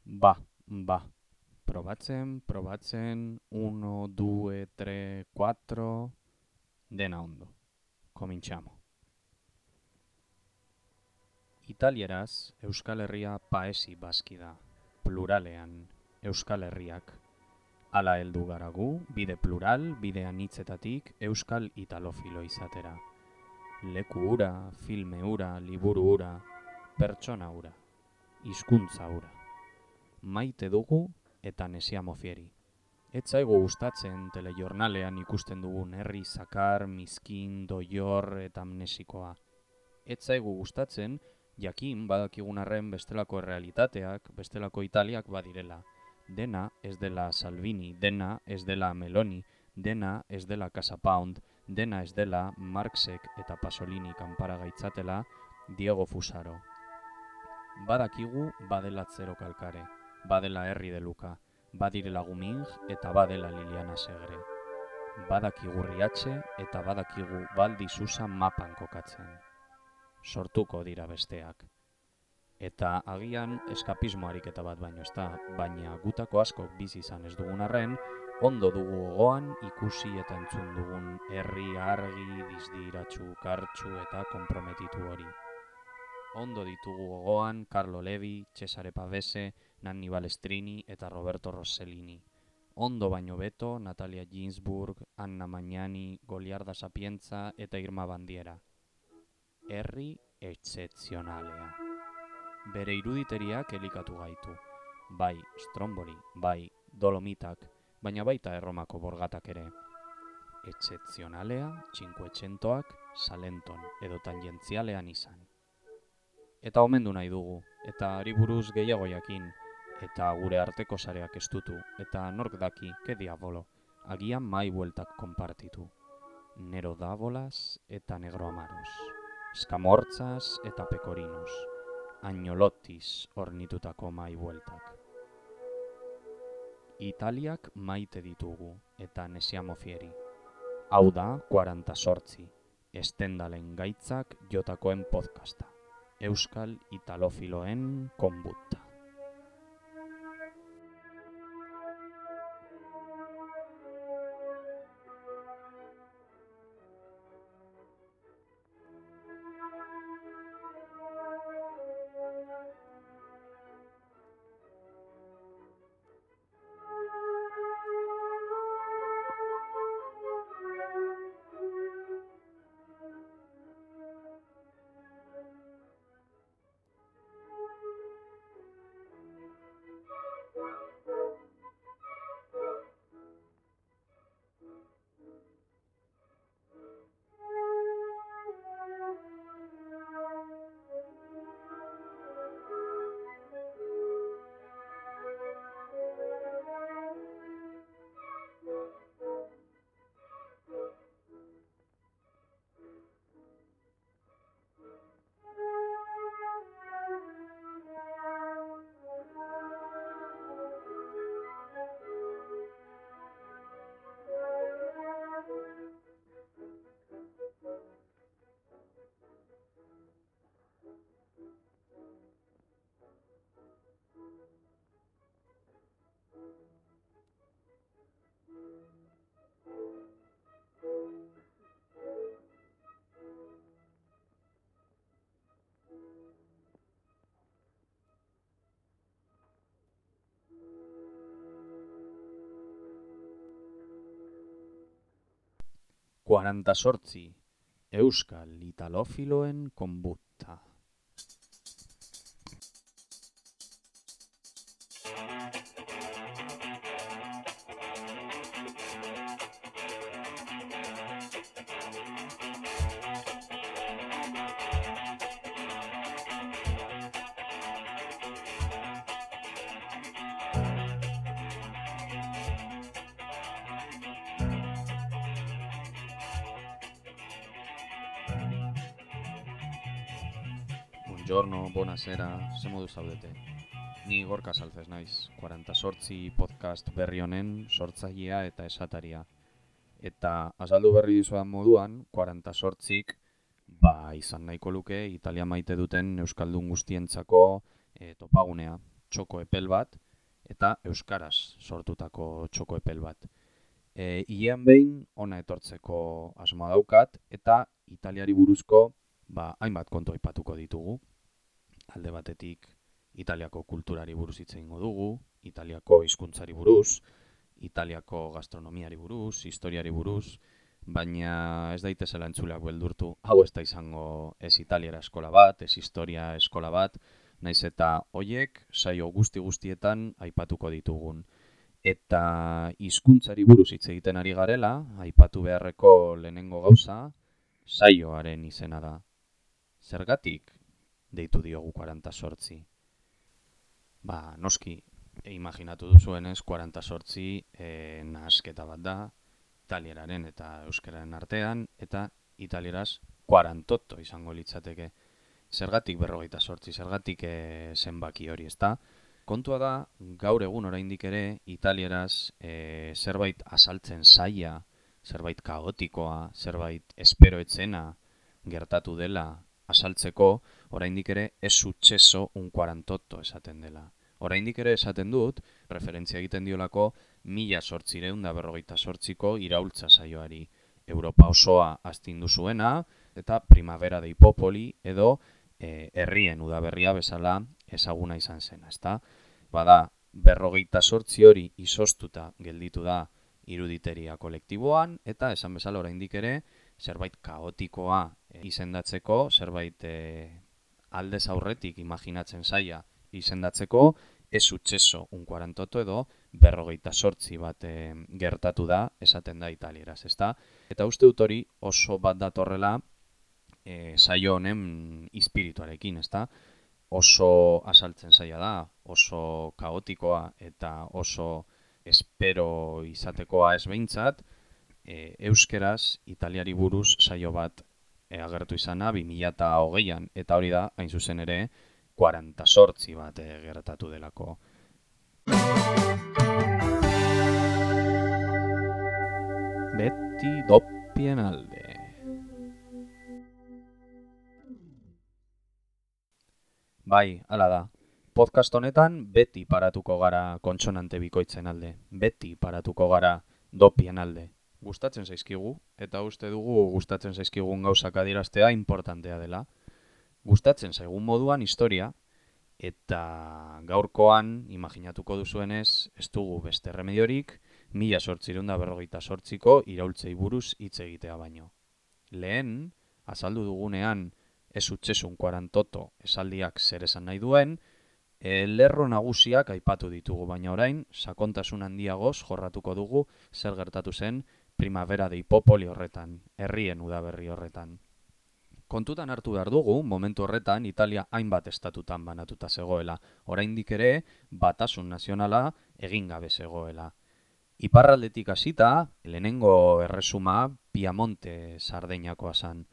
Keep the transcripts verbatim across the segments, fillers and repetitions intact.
Ba, ba. Probatzen, probatzen, uno, due, tre, quattro, dena ondo. Cominciamo. Italieraz, Euskal Herria paesi baski da, pluralean, Euskal Herriak. Hala heldu gara gu, bide plural, bide anitzetatik Euskal Italofilo izatera. Leku hura, filme hura, liburu hura, pertsona hura, hizkuntza hura. Maite dugu eta nesiamo fieri. Ez zaigu gustatzen telejornalean ikusten dugun herri zakar, miskin, doior eta amnesikoa. Ez zaigu gustatzen jakin badakigun arren bestelako errealitateak, bestelako Italiak badirela. Dena ez dela Salvini, dena ez dela Meloni, dena ez dela Casa Pound, dena ez dela Marxek eta Pasolini kanpara gaitzatela Diego Fusaro. Badakigu badela Zero Kalkare, badela Herri de Luka, badirela Guming eta badela Liliana Segre. Badakigu Riatxe eta badakigu Baldi Susa mapan kokatzen. Sortuko dira besteak. Eta agian eskapismo ariketa bat baino ez da, baina gutako asko bizi izan ez dugun arren, ondo dugu gogoan ikusi eta entzun dugun herri argi, dizdiratsu, kartsu eta konprometitu hori. Ondo ditugu gogoan Carlo Levi, Cesare Pavese, Nanni Balestrini eta Roberto Rossellini. Ondo baino beto Natalia Ginsburg, Anna Magnani, Goliarda Sapienza eta Irma Bandiera. Herri excepzionalea. Bere iruditeriak elikatu gaitu. Bai Stromboli, bai Dolomitak, baina baita Erromako borgatak ere. Excepzionalea, Cinquecentoak, Salenton edo tangentzialean izan. Eta omendu nahi dugu, eta ari buruz gehiago jakin, eta gure arteko sareak estutu, eta nork daki, ke diabolo, agian mai bueltak konpartitu. Nero Dávolas eta Negro Amaros, Eskamortzas eta Pekorinos, Agnolottiz ornitutako mai bueltak. Italiak maite ditugu, eta nesiamo fieri. Hau da, kuaranta sortzi, estendalen gaitzak jotakoen podcasta. Euskal Italofiloen konbutta. Kuaranta sortzi, Euskal Italofiloen konbutta. Buongiorno, buonasera, ze modu zaudete. Ni Gorka Saltzez naiz, kuaranta sortzi podcast berri honen sortzailea eta esataria. Eta azaldu berri dizudan moduan, kuaranta sortzik ba, izan nahiko luke Italia maite duten euskaldun guztientzako e, topagunea. txoko epel bat eta euskaraz sortutako txoko epel bat. E, Hilean behin ona etortzeko asmoa daukat eta Italiari buruzko ba, hainbat kontu aipatuko ditugu. Alde batetik Italiako kulturari buruz hitz egingo dugu, Italiako hizkuntzari buruz, Italiako gastronomiari buruz, historiari buruz, baina ez daitezela entzuleak beldurtu, hau ez da izango ez Italiara eskola bat, ez historia eskola bat, naiz eta hoiek saio guzti guztietan aipatuko ditugun. Eta hizkuntzari buruz hitz egiten ari garela, aipatu beharreko lehenengo gauza, saioaren izena da. Zergatik deitu diogu kuaranta zortzi? Ba, noski, e, imaginatu duzuenez, kuaranta zortzi e, nahasketa bat da, italieraren eta euskararen artean, eta italieraz kuarantotto izango litzateke. Zergatik berrogeita zortzi, zergatik e, zenbaki hori, ezta? Kontua da, gaur egun oraindik ere, italieraz e, zerbait azaltzen zaila, zerbait kaotikoa, zerbait espero etzena gertatu dela azaltzeko, oraindik ere ez successo un cuarantotto esaten dela. Oraindik ere esaten dut, referentzia egiten diolako mila zortzireun da berrogeita zortziko iraultza saioari. Europa osoa astindu zuena, eta Primavera dei Popoli edo e, herrien udaberria bezala ezaguna izan zena, ezta? Bada, berrogeita zortzi hori izoztuta gelditu da iruditeria kolektiboan, eta esan bezala oraindik ere zerbait kaotikoa e, izendatzeko, zerbait e, aldez aurretik imaginatzen zaila izendatzeko, ez successo un cuarantotto edo berrogeita zortzi bat e, gertatu da esaten da italieraz, ezta? Eta uste dut hori oso bat datorrela e, saio honen espirituarekin, ezta? Oso azaltzen zaila da, oso kaotikoa eta oso espero izatekoa ez behintzat, e, euskeraz Italiari buruz saio bat e, agertu izana bi mila hogeian, eta hori da, hain zuzen ere, kuaranta zortzi bat e, gertatu delako. Beti doppien alde. Bai, hala da. Podcast honetan beti paratuko gara kontsonante bikoitzen alde. Beti paratuko gara dopien alde. Gustatzen zaizkigu, eta uste dugu gustatzen zaizkigun gauzak adieraztea importantea dela. Gustatzen zaigun moduan historia, eta gaurkoan, imaginatuko duzuenez, ez dugu beste remediorik, mila zortzireun da berrogeita zortziko iraultzei buruz hitz egitea baino. Lehen, azaldu dugunean, ez successo kuarantotto esaldiak zer esan nahi duen, e, lerro nagusiak aipatu ditugu, baina orain, sakontasun handiagoz jorratuko dugu zer gertatu zen Primavera dei Popoli horretan, herrien udaberri horretan. Kontutan hartu behar dugu, momentu horretan, Italia hainbat estatutan banatuta zegoela. Oraindik ere, batasun nazionala egin gabe zegoela. Iparraldetik hasita, lehenengo erresuma Piamonte Sardeinakoa zen.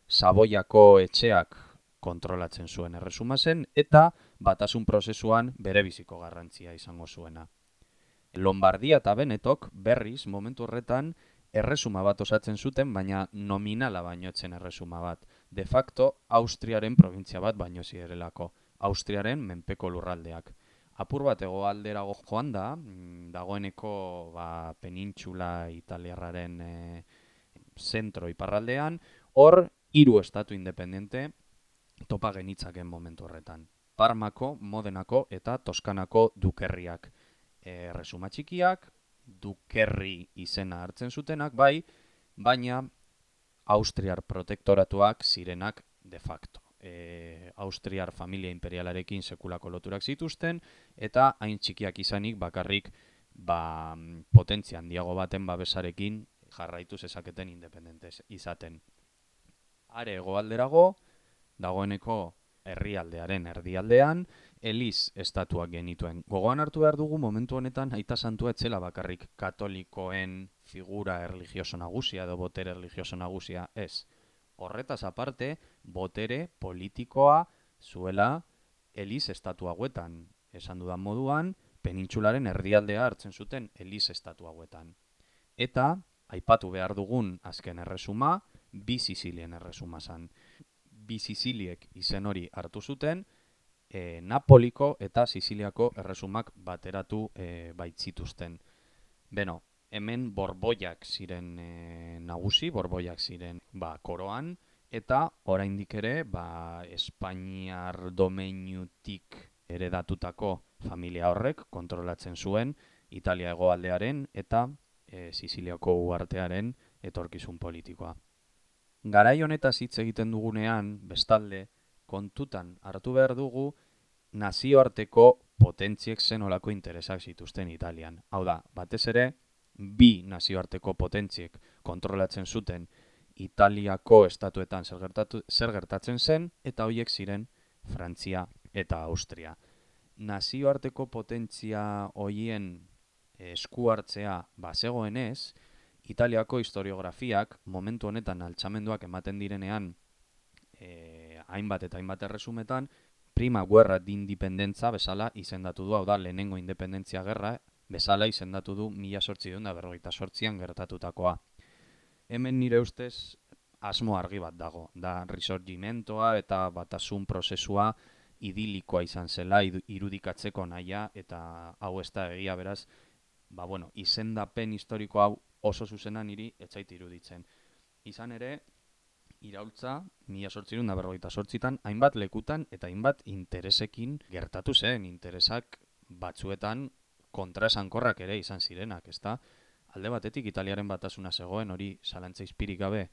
Saboiako etxeak kontrolatzen zuen erresuma zen, eta batasun prozesuan berebiziko garrantzia izango zuena. Lombardia eta Benetok berriz, momentu horretan, erresuma bat osatzen zuten, baina nominala baino etzen erresuma bat. De facto, Austriaren provintzia bat baino zirelako. Austriaren menpeko lurraldeak. Apur bat hegoalderago joan da, dagoeneko ba, penintxula italiarraren e, zentro iparraldean, hor hiru estatu independente topa genitzaken momentu horretan. Parmako, Modenako eta Toskanako dukerriak. Erresuma txikiak, dukerri izena hartzen zutenak, bai, baina Austriar protektoratuak zirenak de facto. E, Austriar familia imperialarekin sekulako loturak zituzten, eta hain txikiak izanik bakarrik ba, potentzia handiago baten babesarekin jarraitu zezaketen independentez izaten. Are hegoalderago, dagoeneko herrialdearen erdialdean, Eliz estatuak genituen. Gogoan hartu behar dugu momentu honetan aita santua etzela bakarrik katolikoen figura erlijioso nagusia edo botere erlijioso nagusia ez. Horretaz aparte, botere politikoa zuela Eliz estatu hauetan. Esan dudan moduan, penintxularen erdialdea hartzen zuten Eliz estatu hauetan. Eta, aipatu behar dugun azken erresuma, bi Sizilien erresuma zan. Bi Siziliek izen hori hartu zuten, e, Napoliko eta Siziliako erresumak bateratu e, baitzituzten. Beno, hemen borboiak ziren e, nagusi, borboiak ziren ba, koroan, eta oraindik ere ba, Espainiar domeinutik heredatutako familia horrek kontrolatzen zuen Italia hegoaldearen eta e, Siziliako uhartearen etorkizun politikoa. Garai honetaz hitz egiten dugunean, bestalde, kontutan hartu behar dugu nazioarteko potentziek zen olako interesak zituzten Italian. Hau da, batez ere, bi nazioarteko potentziek kontrolatzen zuten Italiako estatuetan zer, gertatu, zer gertatzen zen, eta horiek ziren Frantzia eta Austria. Nazioarteko potentzia horien esku hartzea bazegoenez, Italiako historiografiak momentu honetan altxamenduak ematen direnean eh, hainbat eta hainbat erresumetan, prima guerra di independentza bezala izendatu du, hau da, lehenengo independentzia gerra bezala izendatu du mila zortziehun eta berrogeita zortzian gertatutakoa. Hemen nire ustez asmo argi bat dago, da risorgimentoa eta batasun prozesua idilikoa izan zela irudikatzeko nahia, eta hau ez da egia beraz, ba bueno, izendapen historiko hau oso zuzena niri etzait iruditzen. Izan ere, iraultza, mila zortziehun eta berrogeita zortzitan, hainbat lekutan eta hainbat interesekin gertatu zen, interesak batzuetan kontraesankorrak ere izan zirenak, ezta? Alde batetik Italiaren batasuna zegoen, hori zalantza izpirik gabe,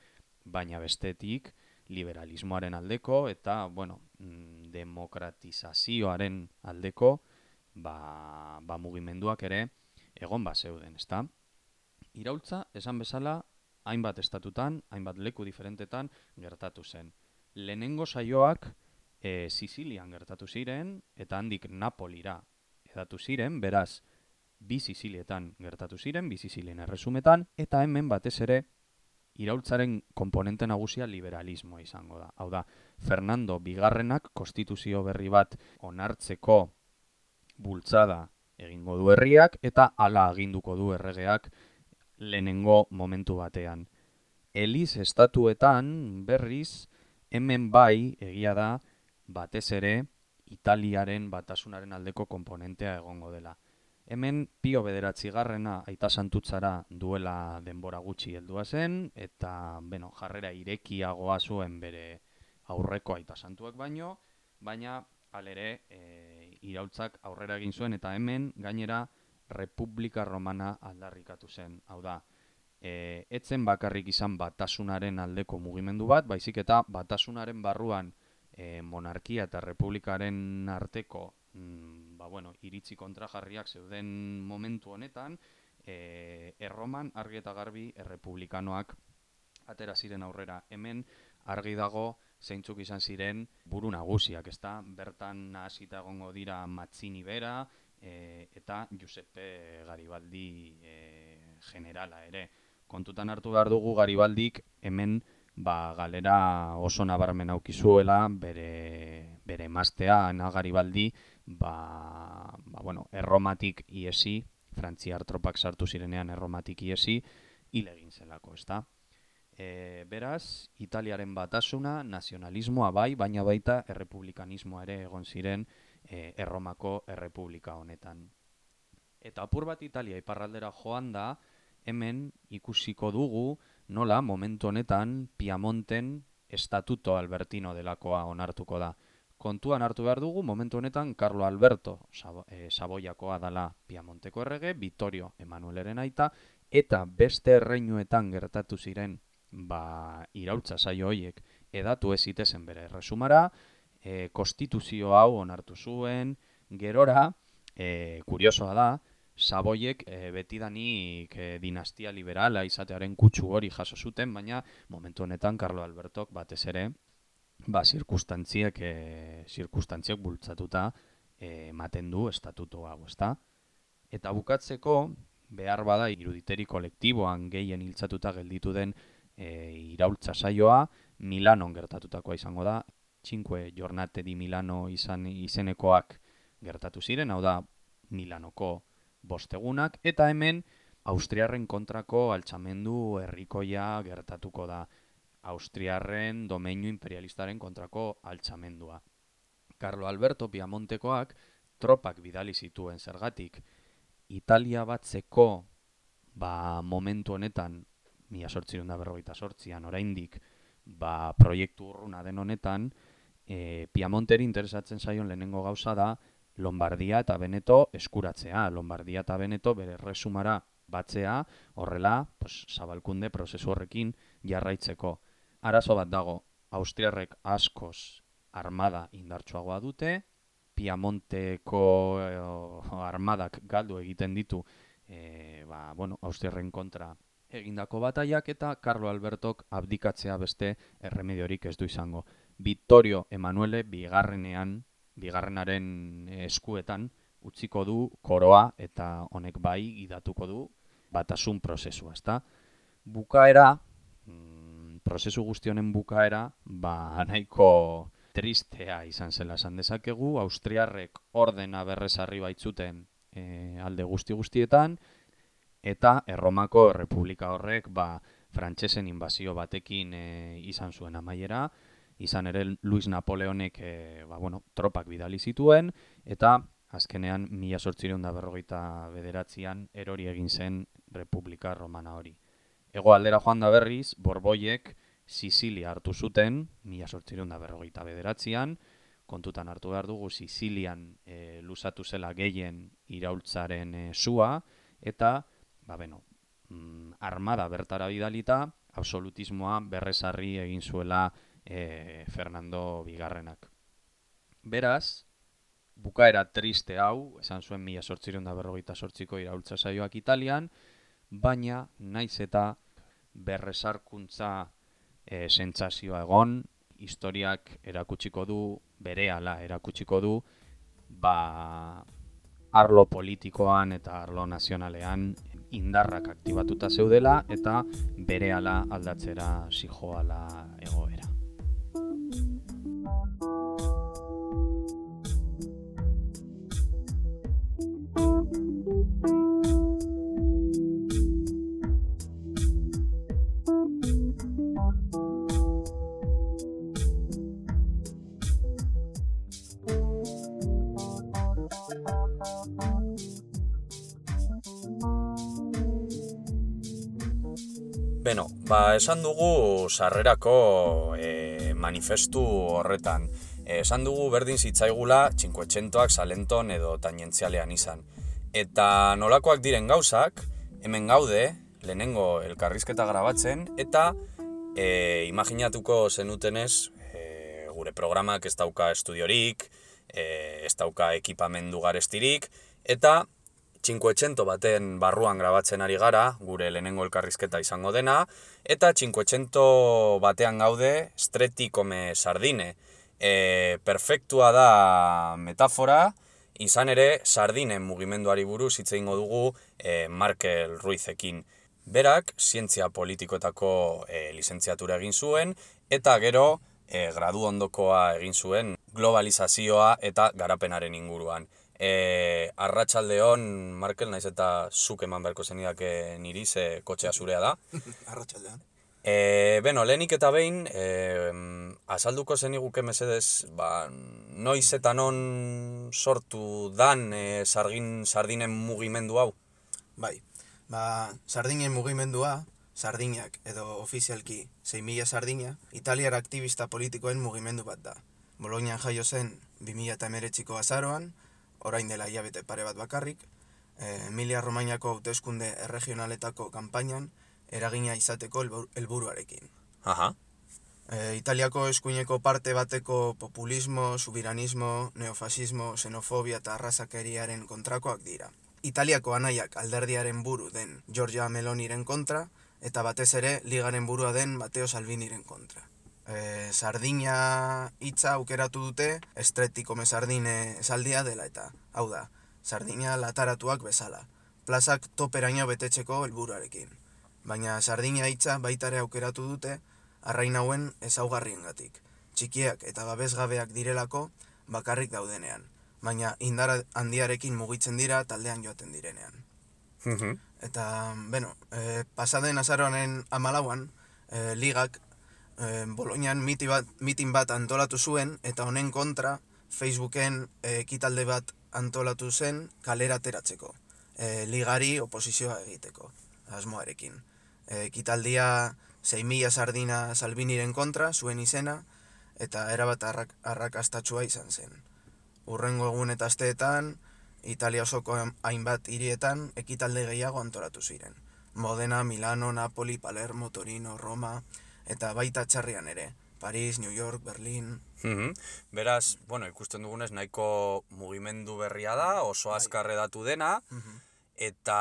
baina bestetik liberalismoaren aldeko eta, bueno, demokratizazioaren aldeko ba, ba mugimenduak ere egon bat zeuden, ezta? Iraultza, esan bezala, hainbat estatutan, hainbat leku diferentetan gertatu zen. Lehenengo saioak e, Sizilian gertatu ziren, eta handik Napolira edatu ziren, beraz, bi Sizilietan gertatu ziren, bi Sizilien erresumetan, eta hemen batez ere, iraultzaren konponente nagusia liberalismoa izango da. Hau da, Fernando Bigarrenak konstituzio berri bat onartzeko bultzada egingo du herriak, eta hala aginduko du erregeak lehenengo momentu batean. Eliz estatuetan berriz, hemen bai egia da batez ere Italiaren batasunaren aldeko konponentea egongo dela. Hemen Pio bederatzigarrena aita santutzara duela denbora gutxi heldua zen, eta beno, jarrera irekiagoa zuen bere aurreko aita santuak baino, baina halere e, iraultzak aurrera egin zuen, eta hemen gainera Republika Romana aldarrikatu zen. Hau da, e, etzen bakarrik izan batasunaren aldeko mugimendu bat, baizik eta batasunaren barruan e, monarkia eta republikaren arteko mm, ba, bueno, iritzi kontrajarriak zeuden momentu honetan, e, erroman argi eta garbi errepublikanoak atera ziren aurrera. Hemen argi dago zeintzuk izan ziren buru nagusiak, ezta? Bertan hasita egongo dira Mazzini bera, E, eta Giuseppe Garibaldi e, generala ere. Kontutan hartu behar dugu Garibaldik hemen ba, galera oso nabarmen aukizuela, bere, bere emaztea, Ana Garibaldi, ba, ba, bueno, erromatik iesi, frantziar tropak sartu zirenean erromatik iesi, hil egin zelako, ezta? E, beraz, Italiaren batasuna, nazionalismoa bai, baina baita errepublikanismoa ere egon ziren e, Erromako errepublika honetan. Eta apur bat Italia iparraldera joan da, hemen ikusiko dugu nola momentu honetan Piamonten estatuto albertino delakoa onartuko da. Kontuan hartu behar dugu, momentu honetan Carlo Alberto Sabo, e, Saboiakoa dala Piamonteko errege, Vittorio Emanueleren aita, eta beste erreinuetan gertatu ziren ba, iraultza saio horiek edatu ez zitezen bere erresumara, e, konstituzio hau onartu zuen, gerora, e, kuriosoa da, Saboiek e, betidanik e, dinastia liberala izatearen kutsu hori jaso zuten, baina momentu honetan Carlo Albertok batez ere, ba, zirkustantziek, e, zirkustantziek bultzatuta e, ematen du estatuto hau, ezta? Eta bukatzeko, behar bada iruditeri kolektiboan gehien hiltzatuta gelditu den e, iraultza saioa, Milanon gertatutakoa izango da, Cinque Giornate di Milano izan izenekoak gertatu ziren, hau da Milanoko bostegunak, eta hemen Austriarren kontrako altxamendu herrikoia gertatuko da, Austriarren domeinu imperialistaren kontrako altxamendua. Carlo Alberto Piamontekoak tropak bidali zituen zergatik. Italia batzeko ba, momentu honetan, mila zortziehun eta berrogeita zortzian oraindik, ba, proiektu urruna den honetan, e, Piamonteri interesatzen zaion lehenengo gauza da Lombardia eta Veneto eskuratzea. Lombardia eta Veneto bere erresumara batzea, horrela, pues, zabalkunde prozesu horrekin jarraitzeko. Arazo bat dago, austriarrek askoz armada indartsuagoa dute, Piamonteko eh, armadak galdu egiten ditu e, ba, bueno, austriarren kontra egindako bataiak eta Carlo Albertok abdikatzea beste erremediorik ez du izango. Vittorio Emanuele bigarrenean, bigarrenaren eskuetan utziko du koroa eta honek bai gidatuko du batasun prozesua, ezta? Bukaera, mm, prozesu guzti honen bukaera, ba nahiko tristea izan zela esan dezakegu, austriarrek ordena berrezarri baitzuten e, alde guzti guztietan, eta Erromako Errepublika horrek ba, frantsesen inbazio batekin e, izan zuen amaiera, izan ere Luis Napoleonek e, ba, bueno, tropak bidali zituen, eta azkenean mila zortziehun eta berrogeita bederatzian erori egin zen Republika Romana hori. Hego aldera joan da berriz, Borboiek Sizilia hartu zuten, mila zortziehun eta berrogeita bederatzian, kontutan hartu behar dugu Sizilian e, luzatu zela gehien iraultzaren e, sua, eta ba, beno, mm, armada bertara bidalita, absolutismoa berrezarri egin zuela e, Fernando Bigarrenak. Beraz, bukaera triste hau, esan zuen mila zortziehun eta berrogeita zortziko iraultza saioak Italian, baina naiz eta berrezarkuntza e, sentsazioa egon, historiak erakutsiko du, berehala erakutsiko du, ba, arlo politikoan eta arlo nazionalean indarrak aktibatuta zeudela eta berehala aldatzera zijoala egoera. Beno, ba, esan dugu sarrerako e, manifestu horretan. E, esan dugu berdin zitzaigula Cinquecentoak Salenton edo tangentzialean izan. Eta nolakoak diren gauzak, hemen gaude, lehenengo elkarrizketa grabatzen, eta e, imaginatuko zenutenez, e, gure programak ez dauka estudiorik, e, ez dauka ekipamendu garestirik, eta Cinquecento baten barruan grabatzen ari gara, gure lehenengo elkarrizketa izango dena, eta Cinquecento batean gaude stretti come sardine. E, perfektua da metafora, izan ere sardinen mugimenduari buruz hitz egingo dugu e, Markel Ruizekin. Berak, zientzia politikoetako e, lizentziatura egin zuen, eta gero e, gradu ondokoa egin zuen globalizazioa eta garapenaren inguruan. E, arratsaldeon, Markel, naiz eta zuk eman beharko zenidake niri, ze kotxea zurea da. Arratsaldean. E, beno, lehenik eta behin, e, azalduko zeniguke mesedez, ba, noiz eta non sortu dan e, sargin, sardinen mugimendu hau? Bai, ba, sardinen mugimendua, sardinak edo ofizialki sei mila sardina, italiar aktivista politikoen mugimendu bat da. Bolognan jaio zen bi mila hemeretziko azaroan, orain dela hilabete pare bat bakarrik, e, Emilia Romagnako hauteskunde erregionaletako kanpainan eragina izateko helburuarekin. Aha. E, Italiako eskuineko parte bateko populismo, subiranismo, neofasismo, xenofobia eta arrazakeriaren kontrakoak dira. Italiako anaiak alderdiaren buru den Giorgia Meloniren kontra, eta batez ere ligaren burua den Matteo Salviniren kontra. E, Sardina hitza aukeratu dute stretti come sardine esaldia dela eta, hau da, sardina lataratuak bezala, plazak toperaino betetzeko helburuarekin. Baina sardina hitza baitare aukeratu dute arrain hauen ezaugarriengatik, txikiak eta babesgabeak direlako bakarrik daudenean, baina indar handiarekin mugitzen dira taldean joaten direnean. Mhm. Eta, beno, e, pasaden azaroaren hamalauan, e, ligak e, Bolognan miti bat, mitin bat antolatu zuen, eta honen kontra Facebooken e, ekitalde bat antolatu zen kalera ateratzeko, e, ligari oposizioa egiteko, asmoarekin. E, ekitaldia sei mila sardina Salviniren kontra, zuen izena, eta erabat arrak, arrakastatsua izan zen. Hurrengo egun eta asteetan, Italia osoko hainbat hirietan ekitalde gehiago antolatu ziren. Modena, Milano, Napoli, Palermo, Torino, Roma, eta baita txarrian ere. Paris, New York, Berlin... Mm-hmm. Beraz, bueno, ikusten dugunez nahiko mugimendu berria da, oso azkar hedatu dena, mm-hmm. eta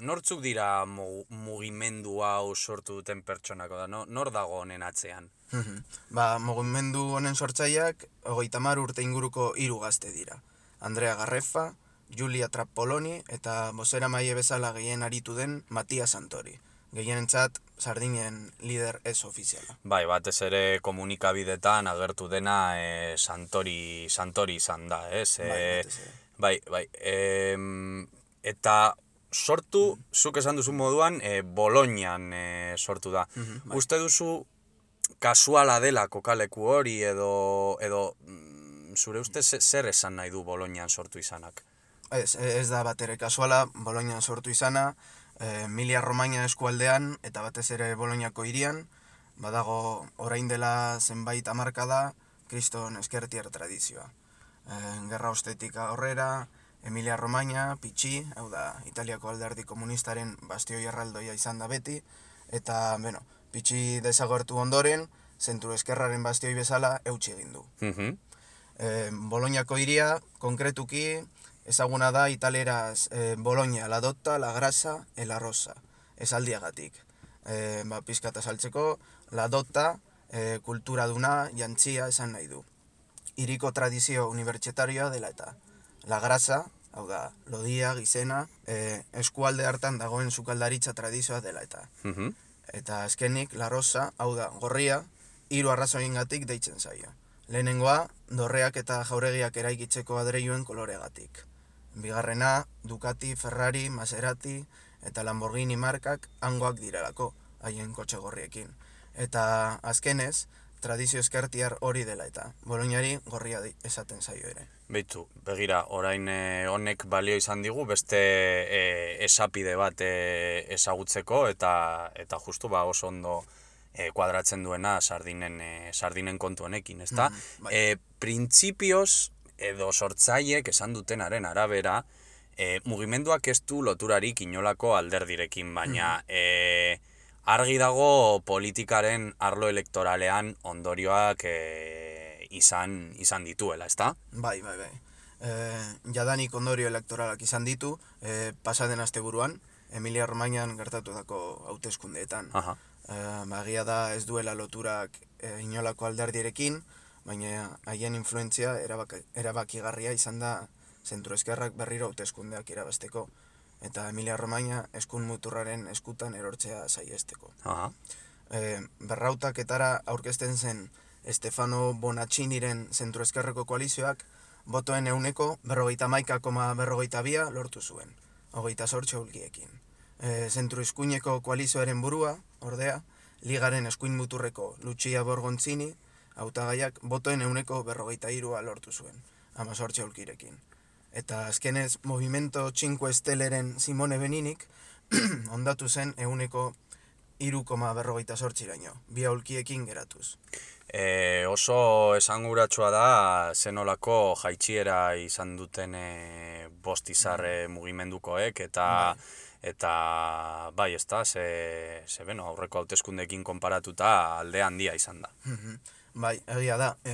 nortzuk dira mugimendu hau sortu duten pertsonako da, no? Nor dago honen atzean? Mm-hmm. Ba, mugimendu honen sortzaileak hogeita hamar urte inguruko hiru gazte dira. Andrea Garrefa, Giulia Trappoloni eta bozeramaile bezala gehien aritu den Mattia Santori. Gehienentzat Sardinen lider ez ofiziala. Bai, batez ere komunikabidetan agertu dena e, Santori, Santori izan da, ez? Bai, batez ere. Bai, bai. E, eta sortu, mm. zuk esan duzu moduan, e, Bolognan e, sortu da. Mm-hmm, bai. Uste duzu kasuala dela kokaleku hori edo, edo zure uste zer esan nahi du Bolognan sortu izanak? Ez, ez da bat ere kasuala, Bolognan sortu izana, Emilia Romagna eskualdean eta batez ere Bolognako hirian, badago orain dela zenbait hamarkada kriston eskertiar tradizioa. E, gerra ostetik aurrera, Emilia Romagna, Pitxi, hau da, Italiako alderdi komunistaren bastioi erraldoia izan da beti, eta, bueno, Pitxi desagertu ondoren, zentru eskerraren bastioi bezala eutsi egin du. Mm-hmm. e, Bolognako hiria, konkretuki, ezaguna da italeraz e, Bologna, la dotta, la grasa, e la rosa, esaldiagatik. E, ba, pizkat azaltzeko, la dotta, e, kultura duna, jantzia esan nahi du. Hiriko tradizio unibertsitarioa dela eta. La grasa, hau da, lodia, gizena, e, eskualde hartan dagoen sukaldaritza tradizioa dela eta. Mm-hmm. Eta azkenik, la rosa, hau da, gorria, hiru arrazoiengatik deitzen zaio. Lehenengoa, dorreak eta jauregiak eraikitzeko adreiluen koloregatik. Bigarrena, Ducati, Ferrari, Maserati eta Lamborghini markak hangoak direlako, haien kotxe gorriekin. Eta azkenez, tradizio eskertiar hori dela eta Bolognari gorria esaten zaio ere. Beitu, begira, orain e, honek balio izan digu, beste e, esapide bat e, ezagutzeko eta eta justu ba oso ondo e, kuadratzen duena sardinen, e, sardinen kontu honekin, ezta? Mm, bai. e, Printzipioz, edo sortzaiek esan dutenaren arabera, e, mugimenduak ez du loturarik inolako alderdirekin, baina mm. e, argi dago politikaren arlo elektoralean ondorioak e, izan, izan dituela, ezta? Bai, bai, bai. E, jadanik ondorio elektoralak izan ditu, e, pasaden asteburuan, Emilia Romagnan gertatutako hauteskundeetan. Aha. E, bagia da ez duela loturak e, inolako alderdirekin, baina haien influentzia erabaki, erabakigarria izan da zentru-eskerrak berriro hauteskundeak irabazteko, eta Emilia Romagna eskun muturraren eskutan erortzea saiesteko. E, berrautaketara aurkezten zen Stefano Bonacciniren zentru-eskerreko koalizioak botoen euneko berrogeita hamaika koma berrogeita bia lortu zuen, hogeita zortzi aulkiekin. E, zentru-eskuineko koalizioaren burua, ordea, ligaren eskuin muturreko Lucia Borgonzini, hautagaiak botoen euneko berrogeita hirua lortu zuen, hamazortzi aulkirekin. Eta azkenez, Movimento Cinque Stelleren Simone Beninik ondatu zen euneko hiru koma berrogeita zortziraino, bi aulkiekin geratuz. E, oso esanguratsua da zenolako jaitsiera izan duten e, bostizarre mm. mugimendukoek, eta bai. Eta bai, ez da, ze, ze beno, aurreko hauteskundeekin konparatuta alde handia izan da. Bai, egia da, e,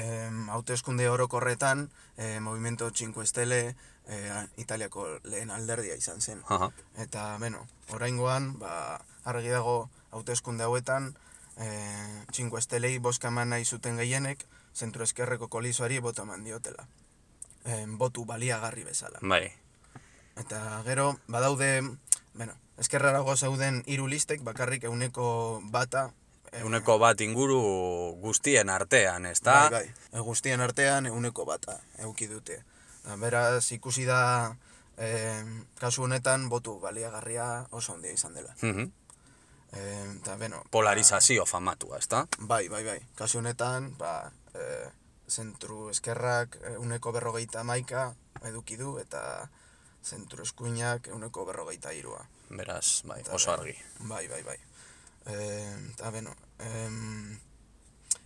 hauteskunde orokorretan, e, Movimento Cinque Stelle e, Italiako lehen alderdia izan zen. Aha. Eta, beno, oraingoan, ba, argi dago hauteskunde hauetan, e, Cinque Stellei boska eman nahi zuten gehienek, zentru eskerreko koalizioari boto eman diotela. E, botu baliagarri bezala. Bai. Eta gero, badaude, bueno, eskerrarago zauden hiru listek, bakarrik euneko bata. Euneko bat inguru guztien artean, ez da? Bai, bai, e, guztien artean euneko bata euki dute. Beraz, ikusi da, e, kasu honetan, botu baliagarria oso handia izan dela. Mm-hmm. E, eta, bueno, polarizazio famatua, ez da? Bai, bai, bai. Kasu honetan, ba, e, zentru eskerrak euneko berrogeita hamaika eduki du, eta zentru eskuinak euneko berrogeita hirua. Beraz, bai, oso argi. Bai, bai, bai. Eta, beno, em,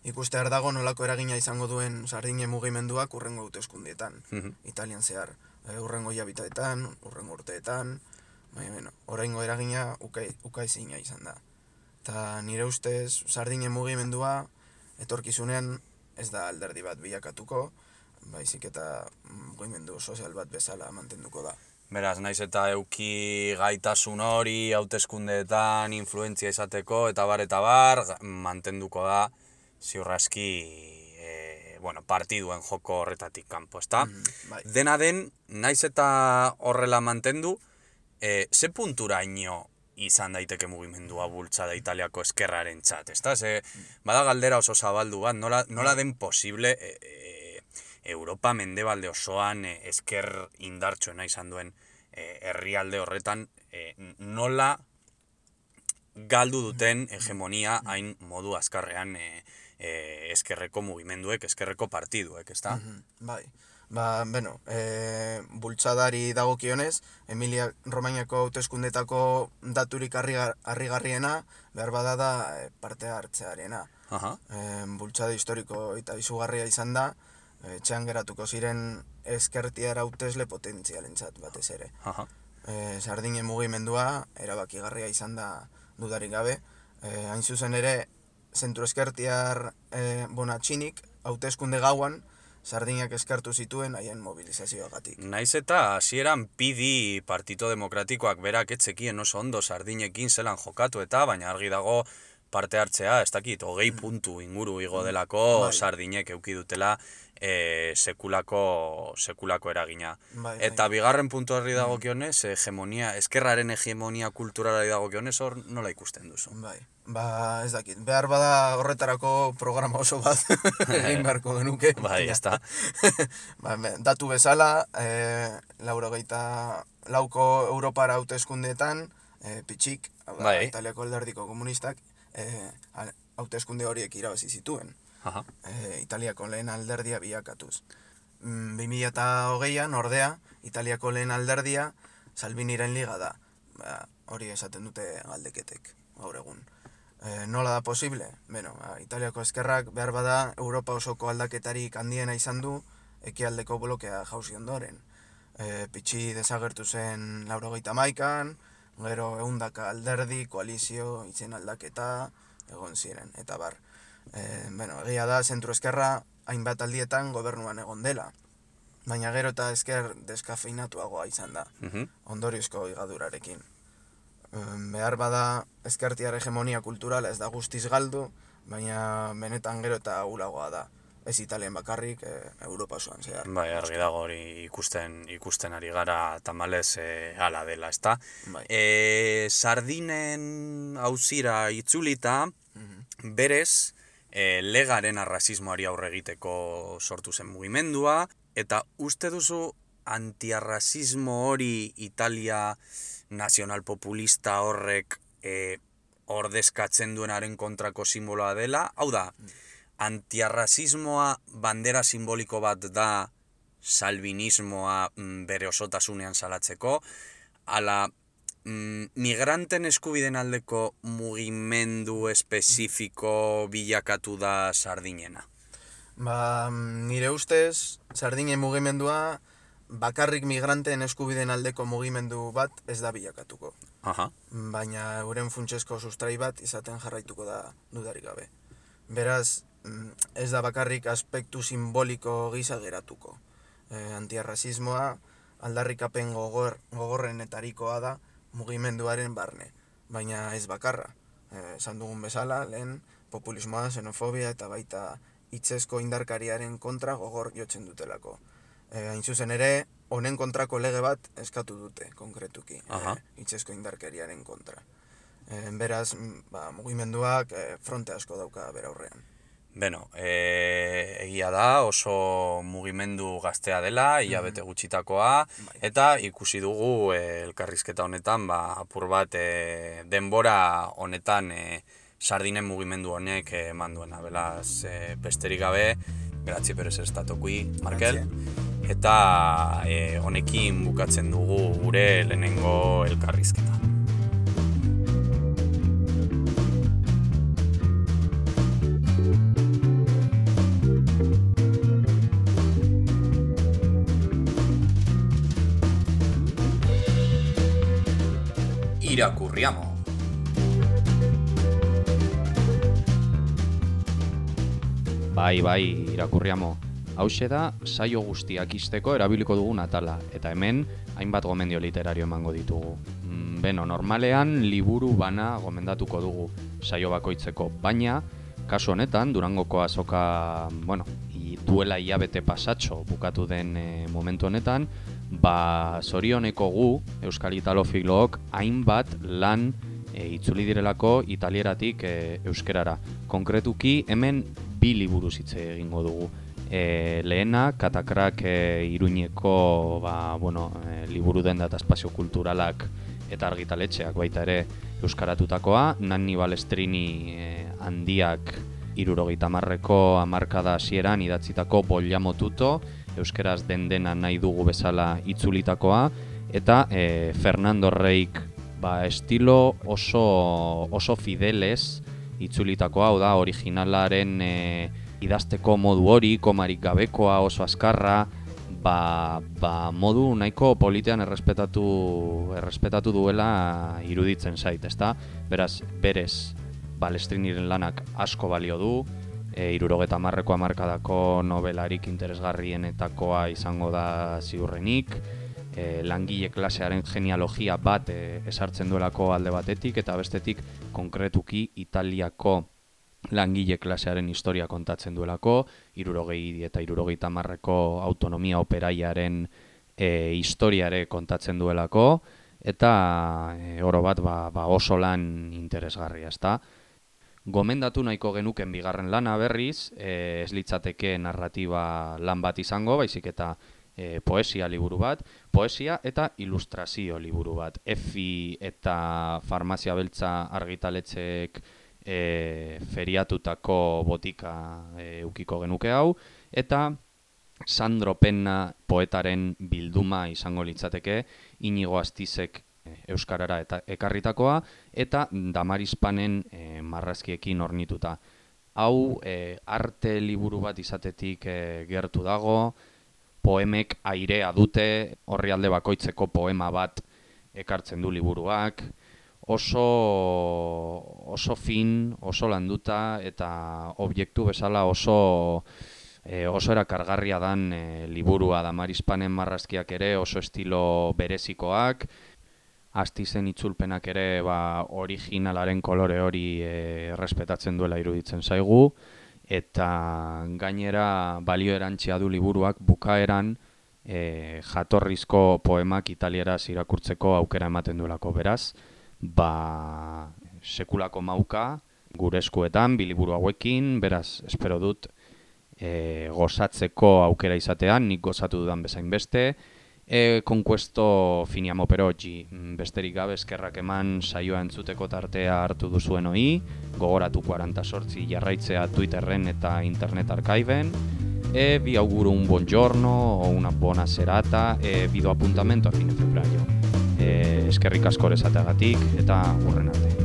ikustear dago nolako eragina izango duen Sardinen mugimenduak urrengo hauteskundietan, Mhm. Italian zehar. E, urrengo hilabiteetan, urrengo urteetan, bai, beno, oraingo eragina ukai, ukaezina izan da. Eta nire ustez Sardinen mugimendua etorkizunean ez da alderdi bat bilakatuko, baizik eta mugimendu sozial bat bezala mantenduko da. Beraz, naiz eta euki gaitasun hori, hauteskundeetan, influentzia izateko, eta bar, eta bar, mantenduko da, ziurraski, e, bueno, partiduen joko horretatik kanpo, ezta? Mm, bai. Dena den, naiz eta horrela mantendu, e, ze punturaino izan daiteke mugimendua bultzada Italiako eskerraren txat, ezta? Ze, bada galdera oso zabaldu bat, nola, nola den posible, e, e, Europa mendebalde osoan e, esker indartsuena izan duen e, herrialde horretan e, nola galdu duten hegemonia hain modu azkarrean e, e, eskerreko mugimenduek, eskerreko partiduek, ezta? Mhm, bai. Ba, beno, e, bultzadari dagokionez, Emilia Romagnako hauteskundetako daturik harrigar, harrigarriena, behar bada da e, parte hartzearena. Aha. E, bultzada historiko eta izugarria izan da, etxean geratuko ziren ezkertiar hautesle potentzialentzat batez ere. Aha. E, Sardinen mugimendua erabakigarria izan da dudarik gabe. E, hain zuzen ere, zentru ezkertiar e, Bonatxinik hauteskunde gauan Sardinak eskartu zituen haien mobilizazioagatik. Naiz eta hasieran P D Partito Demokratikoak berak etzekien oso ondo Sardinekin zelan jokatu eta, baina argi dago parte hartzea, ez dakit, hogei puntu inguru igo delako Bai. Sardinek euki dutela e, sekulako, sekulako eragina. Bai, bai. Eta bigarren puntu horri dagokionez, hegemonia, eskerraren hegemonia kulturalari dagokionez, hor nola ikusten duzu? Bai, ba ez dakit, behar bada horretarako programa oso bat egin beharko genuke. Bai, ez da. Ba, me- datu bezala, e, laurogeita lauko Europara hauteskundeetan, e, pitxik, hau da, Bai. Italiako alderdiko komunistak, e, al- hauteskunde horiek irabazi zituen. Aha. E, Italiako lehen alderdia bilakatuz. Mm, bi mila hogeian, ordea, Italiako lehen alderdia Salviniren liga da. Ba, hori esaten dute galdeketek, gaur egun. E, nola da posible? Beno, ba, Italiako eskerrak behar bada Europa osoko aldaketarik handiena izan du ekialdeko blokea jauzi ondoren. E, pitxi desagertu zen laurogeita hamaikan, gero ehundaka alderdi, koalizio, izen aldaketa, egon ziren, eta bar. E, bueno, egia da, zentru eskerra hainbat aldietan gobernuan egon dela, baina gero eta esker deskafeinatuagoa izan da, Mhm. ondoriozko higadurarekin. E, behar bada ezkertiar hegemonia kulturala ez da guztiz galdu, baina benetan gero eta ahulagoa da. Ez Italien bakarrik, e, Europa osoan zehar. Bai, argi dago hori ikusten ikusten ari gara tamalez e, hala dela, ezta? Bai. E, Sardinen auzira itzulita, Mhm. berez, e, legaren arrazismoari aurre egiteko sortu zen mugimendua, eta uste duzu antiarrazismo hori Italia nazionalpopulista horrek e, ordezkatzen duenaren kontrako simboloa dela? Hau da, antiarrazismoa bandera simboliko bat da salvinismoa mm, bere osotasunean salatzeko, ala mm, migranten eskubiden aldeko mugimendu espezifiko bilakatu da Sardinena. Ba, nire ustez, Sardinen mugimendua bakarrik migranteen eskubideen aldeko mugimendu bat ez da bilakatuko. Aha. Baina euren funtsezko sustrai bat izaten jarraituko da dudarik gabe. Beraz, mm, ez da bakarrik aspektu simboliko gisa geratuko. E, antiarrazismoa aldarrikapen gogor, gogorrenetarikoa da mugimenduaren barne, baina ez bakarra. E, esan dugun bezala, lehen populismoa, xenofobia eta baita hitzezko indarkariaren kontra gogor jotzen dutelako. E, hain zuzen ere, honen kontrako lege bat eskatu dute, konkretuki, Aha. e, hitzezko indarkariaren kontra. E, beraz, mm, ba, mugimenduak e, fronte asko dauka bere aurrean. Beno, e, egia da oso mugimendu gaztea dela, hilabete gutxitakoa, Bai. eta ikusi dugu e, elkarrizketa honetan, ba, apur bat e, denbora honetan e, sardinen mugimendu honek eman duena. Belaz, e, besterik gabe, grazie per ser stato qui, Markel. Eta e, honekin bukatzen dugu gure lehenengo elkarrizketa. Irakurriamo. Bai, bai, irakurriamo. Hauxe da, saio guztiak izteko erabiliko dugun atala, eta hemen hainbat gomendio literario emango ditugu. Mm, beno, normalean liburu bana gomendatuko dugu saio bakoitzeko, baina kasu honetan Durangoko azoka, bueno, i, duela hilabete pasatxo bukatu den e, momentu honetan, ba zorioneko gu, Euskal Italofilook, hainbat lan e, itzuli direlako italieratik e, euskerara. Konkretuki hemen bi liburuz hitz egingo dugu. E, lehena, Katakrak e, Iruñeko ba, bueno, e, liburu denda eta espazio kulturalak eta argitaletxeak baita ere euskaratutakoa, Nanni Balestrini e, handiak hirurogeita hamarreko hamarkada hasieran idatzitako Bogliamo tutto, euskeraz den dena nahi dugu bezala itzulitakoa, eta e, Fernando Reik ba, estilo oso, oso fideles itzulitakoa, hau da, originalaren e, idazteko modu hori, komarik gabekoa, oso azkarra, ba, ba modu nahiko politean errespetatu, errespetatu duela iruditzen zait, ezta? Beraz, berez, Balestriniren lanak asko balio du, e, hirurogeta hamarreko hamarkadako nobelarik interesgarrienetakoa izango da ziurrenik, e, langile klasearen genealogia bat e, esartzen duelako alde batetik, eta bestetik konkretuki Italiako langile klasearen historia kontatzen duelako, hirurogei eta hirurogeita hamarreko autonomia operaiaren e, historiare kontatzen duelako, eta e, oro bat ba, ba oso lan interesgarria, ezta? Gomendatu nahiko genuken bigarren lana berriz, e, ez litzateke narratiba lan bat izango, baizik eta e, poesia liburu bat, poesia eta ilustrazio liburu bat. Efi eta Farmazia Beltza argitaletxeek E, feriatutako botika e, ukiko genuke hau, eta Sandro Penna poetaren bilduma izango litzateke, Inigo Astizek e, euskarara eta ekarritakoa, eta Damaris Panen e, marrazkiekin ornituta. Hau e, arte liburu bat izatetik e, gertu dago, poemek airea dute, orrialde bakoitzeko poema bat ekartzen du liburuak, oso oso fin, oso landuta eta objektu bezala oso e, oso erakargarria dan e, liburua. Damaris Panen marrazkiak ere oso estilo berezikoak, Astizen itzulpenak ere ba, originalaren kolore hori e, errespetatzen duela iruditzen zaigu, eta gainera balio erantsia du liburuak bukaeran e, jatorrizko poemak italieraz irakurtzeko aukera ematen duelako, beraz, ba sekulako mauka gure eskuetan biliburu hauekin, beraz espero dut e, gozatzeko aukera izatean, nik gozatu dudan bezain beste. E, Conquesto finiamo per oggi, besterik gabe eskerrak eman saioa entzuteko tartea hartu duzuen hoi, gogoratu quaranta sortzi jarraitzea Twitterren eta Internet Archiven, e vi auguro un buon giorno o una buona serata e vi do appuntamento a fine febbraio. Eh, eskerrik asko esateagatik eta hurren arte.